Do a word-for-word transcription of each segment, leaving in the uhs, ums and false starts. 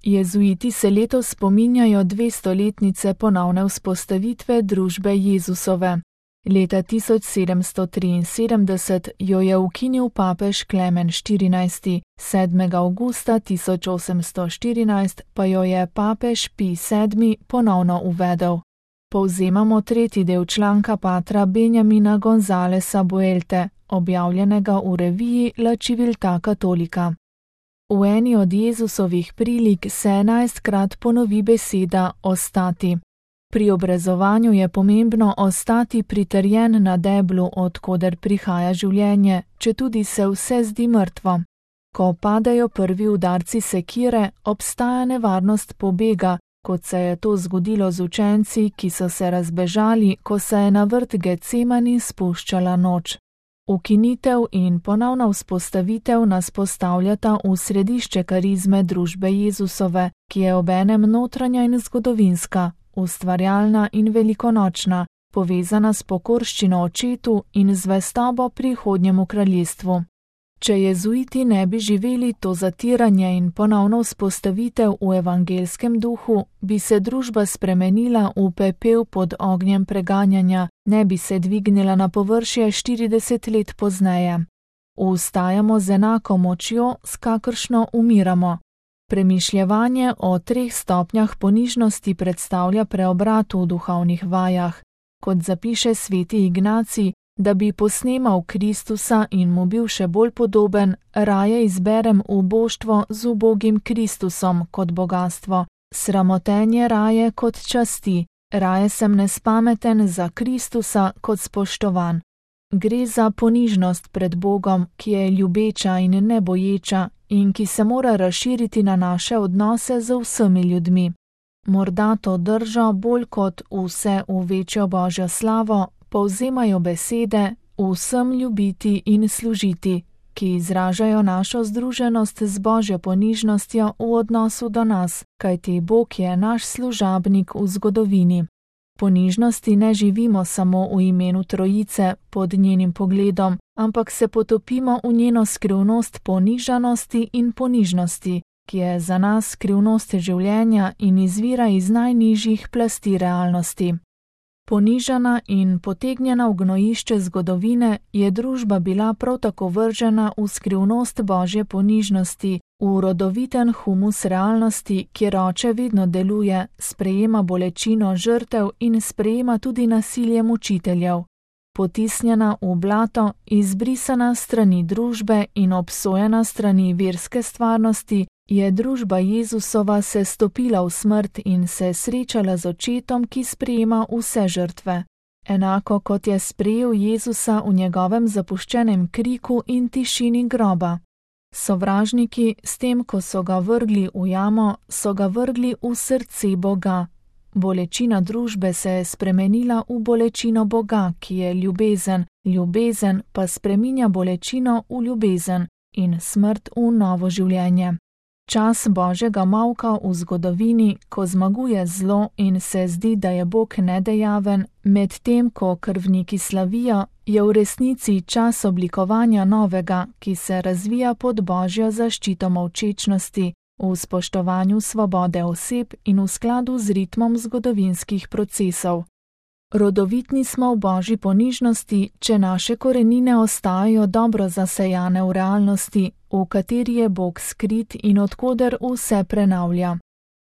Jezuiti se letos spominjajo dvestoletnice ponovne vzpostavitve družbe Jezusove. Leta tisoč sedemsto triinsedemdeset jo je ukinil papež Klemen štirinajsti, sedmega avgusta tisoč osemsto štirinajst pa jo je papež Pij sedmi ponovno uvedel. Povzemamo tretji del članka patra Benjamina Gonzalesa Buelte, objavljenega v reviji La Civiltà Cattolica. V eni od Jezusovih prilik se enajstkrat ponovi beseda ostati. Pri obrezovanju je pomembno ostati pritrjen na deblu, od koder prihaja življenje, četudi se vse zdi mrtvo. Ko padajo prvi udarci sekire, obstaja nevarnost pobega, kot se je to zgodilo z učenci, ki so se razbežali, ko se je na vrt Getsemani spuščala noč. Ukinitev in ponovna vzpostavitev nas postavljata v središče karizme družbe Jezusove, ki je obenem notranja in zgodovinska, ustvarjalna in velikonočna, povezana s pokorščino očetu in zvestobo prihodnjemu kraljestvu. Če jezuiti ne bi živeli to zatiranje in ponovno vzpostavitev v evangelskem duhu, bi se družba spremenila v pepel pod ognjem preganjanja, ne bi se dvignila na površje štirideset let pozneje. Vstajamo z enako močjo, s kakršno umiramo. Premišljevanje o treh stopnjah ponižnosti predstavlja preobrat v duhovnih vajah. Kot zapiše sveti Ignacij, da bi posnemal Kristusa in mu bil še bolj podoben, raje izberem uboštvo z ubogim Kristusom kot bogatstvo, sramotenje raje kot časti, raje sem nespameten za Kristusa kot spoštovan. Gre za ponižnost pred Bogom, ki je ljubeča in neboječa in ki se mora razširiti na naše odnose z vsemi ljudmi. Morda to držo bolj kot vse v večjo Božjo slavo povzemajo besede vsem ljubiti in služiti, ki izražajo našo združenost z Božjo ponižnostjo v odnosu do nas, kajti Bog je naš služabnik v zgodovini. Ponižnosti ne živimo samo v imenu Trojice pod njenim pogledom, ampak se potopimo v njeno skrivnost ponižanosti in ponižnosti, ki je za nas skrivnost življenja in izvira iz najnižjih plasti realnosti. Ponižana in potegnjena v gnojišče zgodovine je družba bila prav tako vržena v skrivnost Božje ponižnosti, v rodoviten humus realnosti, kjer oče vedno deluje, sprejema bolečino žrtev in sprejema tudi nasilje mučiteljev. Potisnjena v blato, izbrisana strani družbe in obsojena strani verske stvarnosti, je družba Jezusova se stopila v smrt in se srečala z očetom, ki sprejema vse žrtve. Enako kot je sprejel Jezusa v njegovem zapuščenem kriku in tišini groba. Sovražniki, s tem, ko so ga vrgli v jamo, so ga vrgli v srce Boga. Bolečina družbe se je spremenila v bolečino Boga, ki je ljubezen, ljubezen pa spreminja bolečino v ljubezen in smrt v novo življenje. Čas Božjega molka v zgodovini, ko zmaguje zlo in se zdi, da je Bog nedejaven, medtem ko krvniki slavijo, je v resnici čas oblikovanja novega, ki se razvija pod Božjo zaščito molčečnosti, v spoštovanju svobode oseb in v skladu z ritmom zgodovinskih procesov. Rodovitni smo v Božji ponižnosti, če naše korenine ostajajo dobro zasejane v realnosti, v kateri je Bog skrit in odkoder vse prenavlja.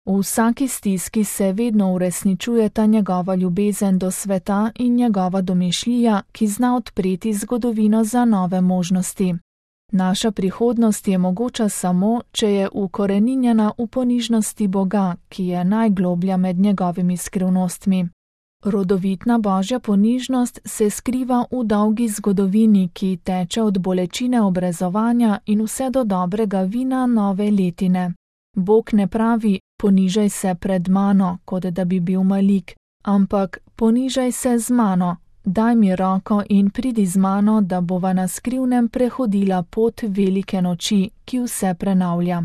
V vsaki stiski se vedno uresničujeta njegova ljubezen do sveta in njegova domišljija, ki zna odpreti zgodovino za nove možnosti. Naša prihodnost je mogoča samo, če je ukoreninjena v ponižnosti Boga, ki je najgloblja med njegovimi skrivnostmi. Rodovitna Božja ponižnost se skriva v dolgi zgodovini, ki teče od bolečine obrezovanja in vse do dobrega vina nove letine. Bog ne pravi, ponižaj se pred mano, kot da bi bil malik, ampak ponižaj se z mano, daj mi roko in pridi z mano, da bova na skrivnem prehodila pot velike noči, ki vse prenavlja.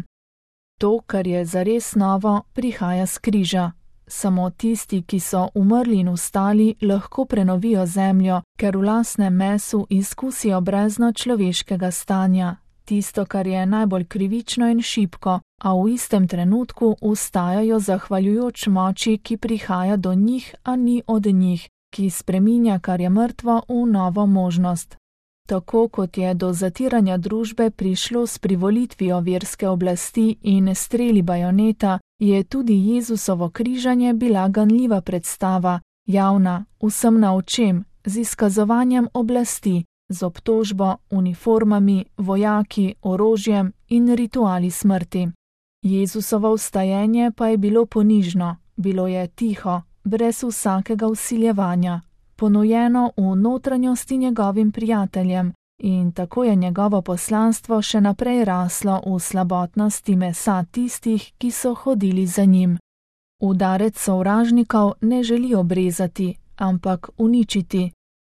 To, kar je zares novo, prihaja s križa. Samo tisti, ki so umrli in vstali, lahko prenovijo zemljo, ker v lastnem mesu izkusijo brezno človeškega stanja, tisto, kar je najbolj krivično in šibko, a v istem trenutku vstajajo zahvaljujoč moči, ki prihaja do njih, a ni od njih, ki spreminja, kar je mrtvo, v novo možnost. Tako kot je do zatiranja družbe prišlo s privolitvijo verske oblasti in streli bajoneta, je tudi Jezusovo križanje bila ganljiva predstava, javna, vsem na očem, z izkazovanjem oblasti, z obtožbo, uniformami, vojaki, orožjem in rituali smrti. Jezusovo vstajenje pa je bilo ponižno, bilo je tiho, brez vsakega vsiljevanja, ponujeno v notranjosti njegovim prijateljem, in tako je njegovo poslanstvo še naprej raslo v slabotnosti mesa tistih, ki so hodili za njim. Udarec sovražnikov ne želi obrezati, ampak uničiti.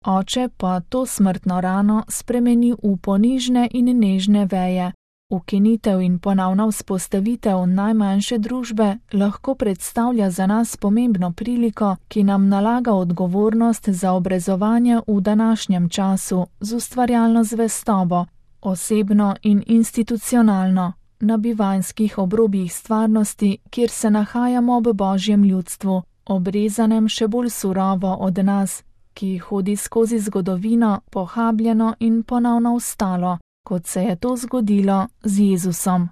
Oče pa to smrtno rano spremeni v ponižne in nežne veje. Ukinitev in ponovna vzpostavitev najmanjše družbe lahko predstavlja za nas pomembno priliko, ki nam nalaga odgovornost za obrezovanje v današnjem času z ustvarjalno zvestobo, osebno in institucionalno, na bivanjskih obrobjih stvarnosti, kjer se nahajamo ob Božjem ljudstvu, obrezanem še bolj surovo od nas, ki hodi skozi zgodovino pohabljeno in ponovno vstalo, kot se je to zgodilo z Jezusom.